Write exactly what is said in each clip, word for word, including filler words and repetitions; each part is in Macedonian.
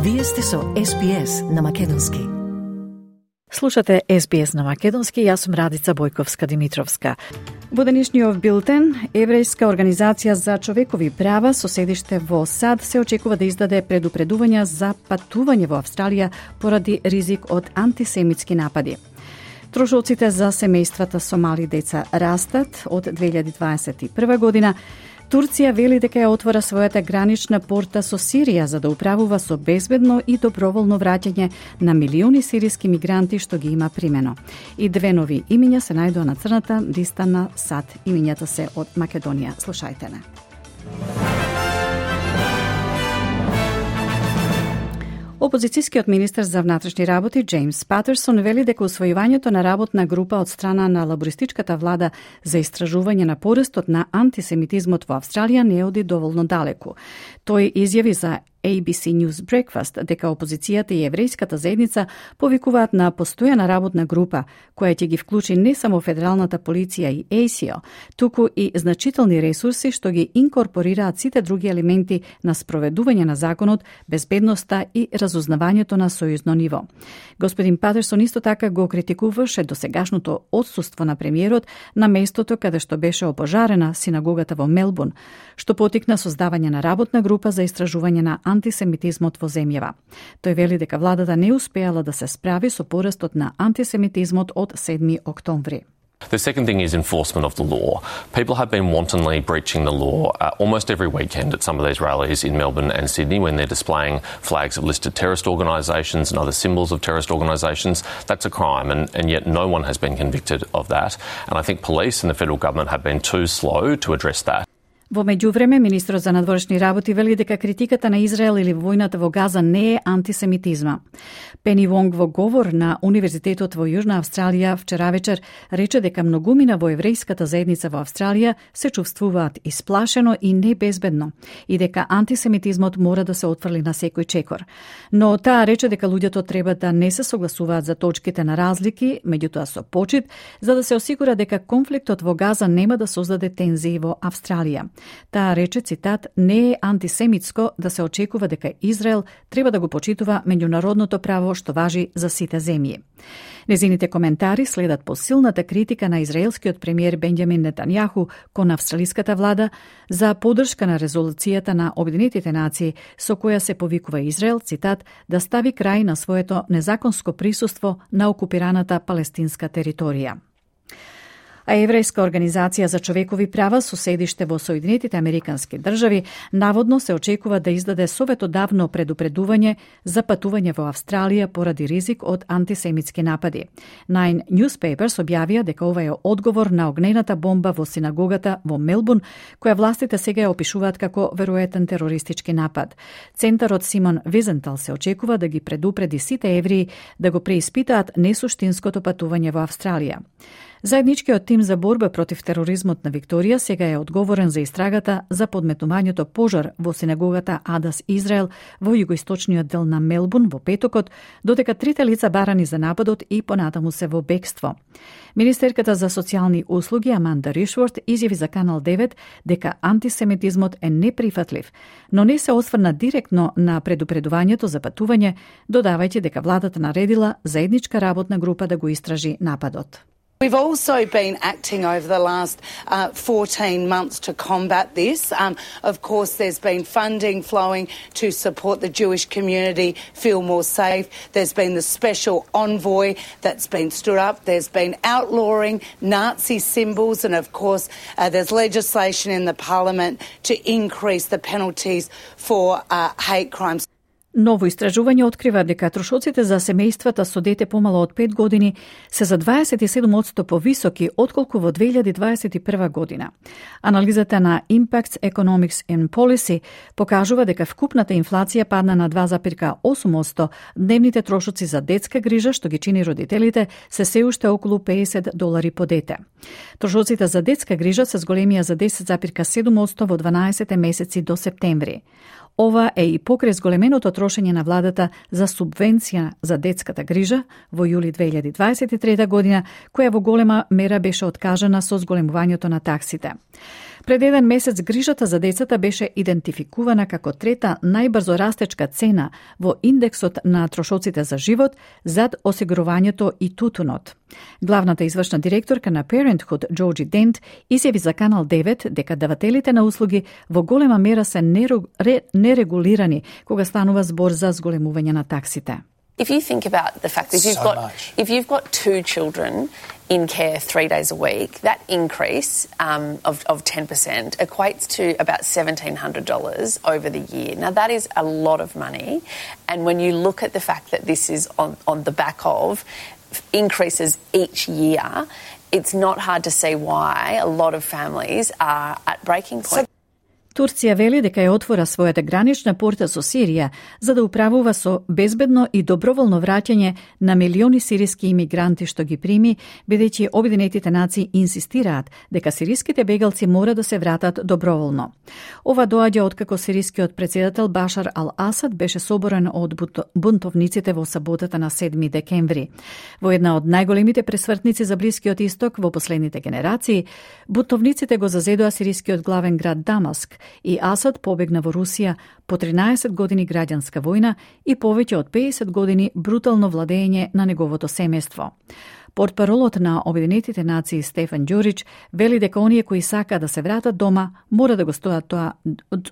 Вие сте со Ес Би Ес на Македонски. Слушате Ес Би Ес на Македонски, јас сум Радица Бојковска-Димитровска. Во денешниот билтен, Еврејска организација за човекови права со седиште во САД се очекува да издаде предупредувања за патување во Австралија поради ризик од антисемитски напади. Трошоците за семејствата со мали деца растат од две илјади дваесет и прва година. Турција вели дека ја отвора својата гранична порта со Сирија за да управува со безбедно и доброволно враќање на милиони сириски мигранти што ги има примено. И две нови имиња се најдоа на црната листа на САД. Имињата се од Македонија. Слушајте не. Опозицијскиот министер за внатрешни работи Джеймс Патерсон вели дека усвојувањето на работна група од страна на лабористичката влада за истражување на порастот на антисемитизмот во Австралија не оди доволно далеку. Тој изјави за Ей Би Си News Breakfast дека опозицијата и еврејската заедница повикуваат на постојана работна група која ќе ги вклучи не само федералната полиција и Ей Си О, туку и значителни ресурси што ги инкорпорираат сите други елементи на спроведување на законот, безбедноста и разузнавањето на сојузно ниво. Господин Патерсон исто така го критикуваше досегашното отсуство на премиерот на местото каде што беше опожарена синагогата во Мелбурн, што потикна создавање на работна група за истражување на антисемитизмот во земјава. Тој вели дека владата не успеала да се справи со порастот на антисемитизмот од седми октомври. The second thing is enforcement of the law. People have been wantonly breaching the law uh, almost every weekend at some of these rallies in Melbourne and Sydney when they're displaying flags of listed terrorist organisations and other symbols of terrorist organisations. That's a crime, and, and yet no one has been convicted of that. And I think police and the federal government have been too slow to address that. Во меѓувреме, министрот за надворешни работи вели дека критиката на Израел или војната во Газа не е антисемитизма. Пени Вонг во говор на Универзитетот во Јужна Австралија вчера вечер рече дека многумина во еврејската заедница во Австралија се чувствуваат исплашено и небезбедно и дека антисемитизмот мора да се отфрли на секој чекор. Но таа рече дека луѓето треба да не се согласуваат за точките на разлики, меѓутоа со почит, за да се осигура дека конфликтот во Газа нема да создаде тензии во Австралија. Таа рече, цитат, не е антисемитско да се очекува дека Израел треба да го почитува меѓународното право што важи за сите земји. Незините коментари следат по силната критика на израелскиот премиер Бенџамин Нетањаху кон австралиската влада за поддршка на резолуцијата на Обединетите нации со која се повикува Израел, цитат, да стави крај на своето незаконско присуство на окупираната палестинска територија. А Еврејска организација за човекови права со седиште во Соединетите Американски држави наводно се очекува да издаде советодавно предупредување за патување во Австралија поради ризик од антисемитски напади. Nine Newspapers објавија дека ова е одговор на огнената бомба во синагогата во Мелбурн, која властите сега ја опишуваат како веројатен терористички напад. Центарот Симон Визентал се очекува да ги предупреди сите евреи да го преиспитаат несуштинското патување во Австралија. Заедничкиот тим за борба против тероризмот на Викторија сега е одговорен за истрагата за подметнувањето пожар во синагогата Адас Израел во југоисточниот дел на Мелбурн во петокот, додека трите лица барани за нападот и понатаму се во бегство. Министерката за социјални услуги Аманда Ришворт изјави за Канал девет дека антисемитизмот е неприфатлив, но не се осврна директно на предупредувањето за патување, додавајќи дека владата наредила заедничка работна група да го истражи нападот. We've also been acting over the last uh, fourteen months to combat this. Um, of course, there's been funding flowing to support the Jewish community feel more safe. There's been the special envoy that's been stood up. There's been outlawing Nazi symbols. And, of course, uh, there's legislation in the parliament to increase the penalties for uh, hate crimes. Ново истражување открива дека трошоците за семејствата со дете помало од пет години се за дваесет и седум одсто повисоки отколку во две илјади дваесет и прва година. Анализата на Impacts Economics and Policy покажува дека вкупната инфлација падна на два зарез и осум одсто, дневните трошоци за детска грижа, што ги чини родителите, се се уште околу педесет долари по дете. Трошоците за детска грижа се зголемија за десет зарез и седум одсто во дванаесет месеци до септември. Ова е и покрај зголеменото трошење на владата за субвенција за детската грижа во јули две илјади дваесет и трета година, која во голема мера беше откажана со зголемувањето на таксите. Пред еден месец грижата за децата беше идентификувана како трета најбрзо растечка цена во индексот на трошоците за живот зад осигурувањето и тутунот. Главната извршна директорка на Parenthood, Джорджи Дент, изјави за Канал девет дека давателите на услуги во голема мера се нерегулирани кога станува збор за зголемување на таксите. If you think about the fact that if you've So got much. if you've got two children in care three days a week, that increase um, of of ten percent equates to about seventeen hundred dollars over the year. Now that is a lot of money, and when you look at the fact that this is on on the back of increases each year, it's not hard to see why a lot of families are at breaking point. Турција вели дека ја отвора својата гранична порта со Сирија за да управува со безбедно и доброволно враќање на милиони сириски имигранти што ги прими, бидејќи Обединетите нации инсистираат дека сириските бегалци мора да се вратат доброволно. Ова доаѓа откако сирискиот претседател Башар ал-Асад беше соборен од бунтовниците во саботата на седми декември. Во една од најголемите пресвртници за Блискиот исток во последните генерации, бунтовниците го зазедоа сирискиот главен град Дамаск и Асад побегна во Русија по тринаесет години граѓанска војна и повеќе од педесет години брутално владење на неговото семејство. Портпаролот на Обединетите нации Стефан Ѓурич вели дека оние кои сака да се вратат дома мора да го стоат тоа,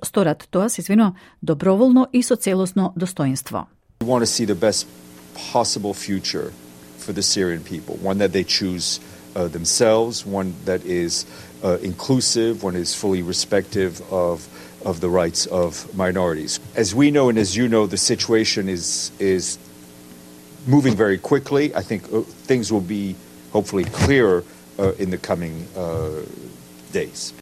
сторат тоа, се извино, доброволно и со целосно достоинство. We want to see the best possible future for the Syrian people, one that they choose uh, themselves, one that is uh, inclusive, one is fully respective of of the rights of minorities. As we know and as you know, the situation is is moving very quickly. I think uh, things will be hopefully clearer uh, in the coming uh, days.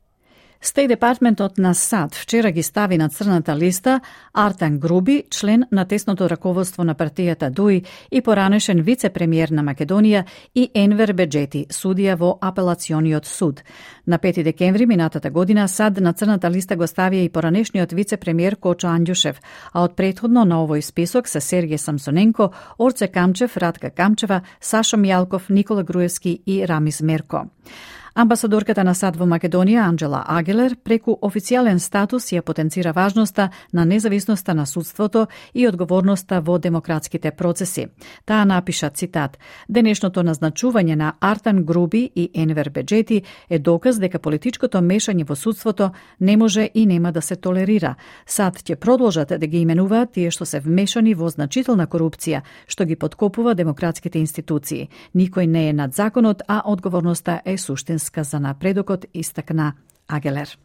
Стејт департментот на САД вчера ги стави на црната листа Артан Груби, член на тесното раководство на партијата ДУИ и поранешен вице-премиер на Македонија, и Енвер Беџети, судија во апелациониот суд. На пети декември минатата година САД на црната листа го ставија и поранешниот вице-премиер Кочо Анѓушев, а од претходно на овој список се Сергеј Самсоненко, Орце Камчев, Ратка Камчева, Сашо Мијалков, Никола Груевски и Рамис Мерко. Амбасадорката на САД во Македонија, Анџела Агелер, преку официјален статус ја потенцира важноста на независноста на судството и одговорноста во демократските процеси. Таа напиша, цитат: "Денешното назначување на Артан Груби и Енвер Беџети е доказ дека политичкото мешање во судството не може и нема да се толерира. САД ќе продолжат да ги именуваат тие што се вмешани во значителна корупција, што ги поткопува демократските институции. Никој не е над законот, а одговорноста е суштинска за напредокот", истакна Агелер.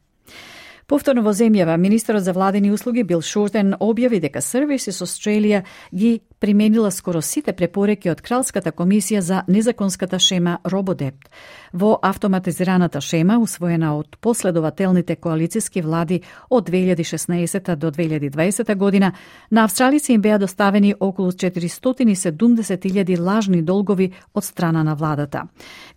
Повторно во земјава, министерот за владени услуги Бил Шортен објави дека Services Australia ги применила скоро сите препораки од Кралската комисија за незаконската шема Рободепт. Во автоматизираната шема, усвоена од последователните коалициски влади од две илјади и шеснаесета до две илјади и дваесета година, на австралици им беа доставени околу четиристотини и седумдесет илјади лажни долгови од страна на владата.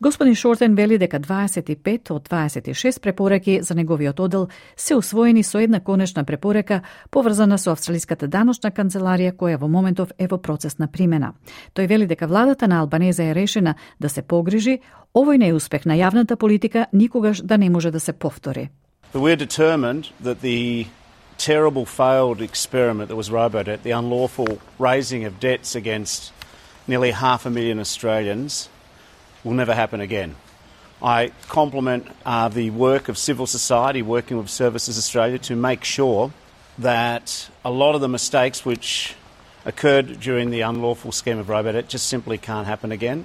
Господин Шортен вели дека дваесет и пет од дваесет и шест препораки за неговиот одел се усвоени со една конечна препорака поврзана со австралиската даночна канцеларија која во моментов е во процес на примена. Тој вели дека владата на Албанеза е решена да се погрижи овој неуспех на јавната политика никогаш да не може да се повтори. But we're determined that the terrible failed experiment that was Robodebt, the unlawful raising of debts against nearly half a million Australians, will never happen again. I compliment uh, the work of civil society working with Services Australia to make sure that a lot of the mistakes which occurred during the unlawful scheme of Robodebt just simply can't happen again.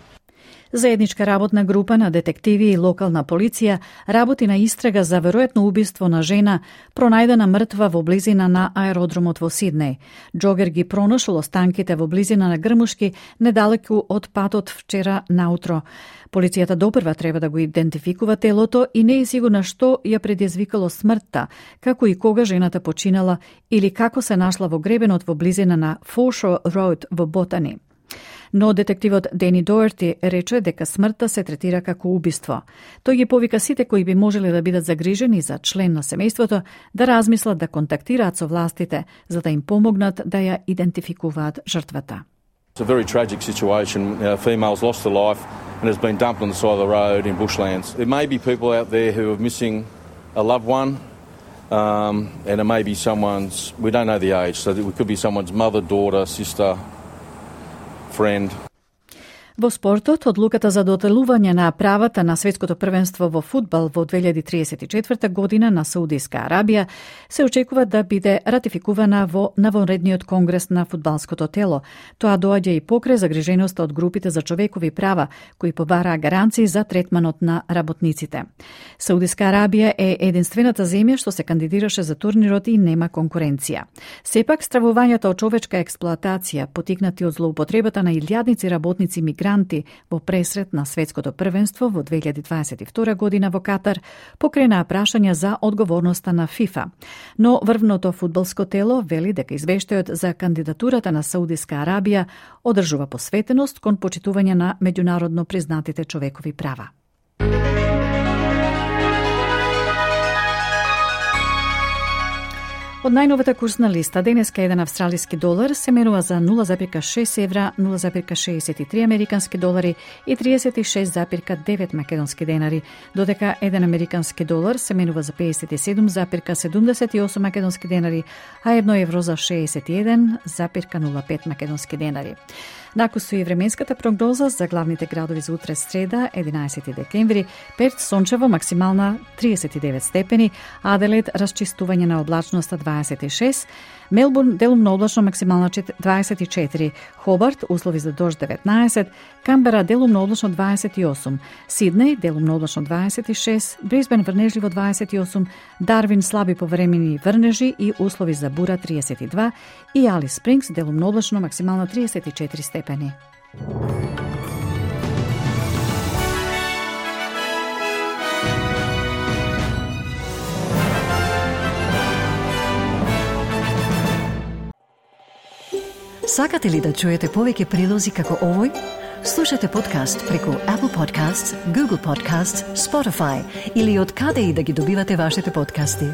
Заедничка работна група на детективи и локална полиција работи на истрага за веројатно убиство на жена пронајдена мртва во близина на аеродромот во Сиднеј. Џогер ги пронашол останките во близина на Грмушки, недалеку од патот вчера наутро. Полицијата допрва треба да го идентификува телото и не е сигурна што ја предизвикало смртта, како и кога жената починала или како се нашла во гребенот во близина на Foreshore Road во Ботани. Но детективот Дени Доерти рече дека смртта се третира како убиство. Тој ги повика сите кои би можеле да бидат загрижени за член на семејството да размислат да контактираат со властите за да им помогнат да ја идентификуваат жртвата. It's a very tragic situation. A female's lost her life and has been dumped on the side of the road in bushlands. There may be people out there who are missing a loved one, um, and it may be someone's, we don't know the age, so it could be someone's mother, daughter, sister, friend. Во спортот, одлуката за доделување на правата на светското првенство во фудбал во две илјади триесет и четврта година на Саудиска Арабија се очекува да биде ратификувана во навонредниот конгрес на фудбалското тело. Тоа доаѓа и покрај загриженоста од групите за човекови права, кои побараа гаранции за третманот на работниците. Саудиска Арабија е единствената земја што се кандидираше за турнирот и нема конкуренција. Сепак, стравувањата од човечка експлоатација, потикнати од злоупотребата на илјадници работници мигранти во пресрет на светското првенство во две илјади дваесет и втора година во Катар, покрена прашања за одговорноста на ФИФА. Но врвното фудбалско тело вели дека извештајот за кандидатурата на Саудиска Арабија одржува посветеност кон почитување на меѓународно признатите човекови права. Од најновата курсна листа, денеска еден австралиски долар се менува за нула зарем шест евра, нула зарем шеесет и три американски долари и триесет и шест зарем девет македонски денари, додека еден американски долар се менува за пеесет и седум зарем седумдесет и осум македонски денари, а едно евро за шеесет и еден зарем нула пет македонски денари. Накусу и временската прогноза за главните градови за утре среда, единаесети декември, Перт сончево максимална триесет и девет степени, Аделаид расчистување на облачноста дваесет и шест, Мелбурн делумно облачно максимална дваесет и четири, Хобарт услови за дожд деветнаесет, Камбера делумно облачно дваесет и осум, Сиднеј делумно облачно дваесет и шест, Брисбен врнежливо дваесет и осум, Дарвин слаби повремени врнежи и услови за бура триесет и два и Алис Спрингс делумно облачно максимална триесет и четири степени. Сакате ли да чуете повеќе прилози како овој? Слушате подкаст преку Apple Podcasts, Google Podcasts, Spotify или од каде и да ги добивате вашите подкасти.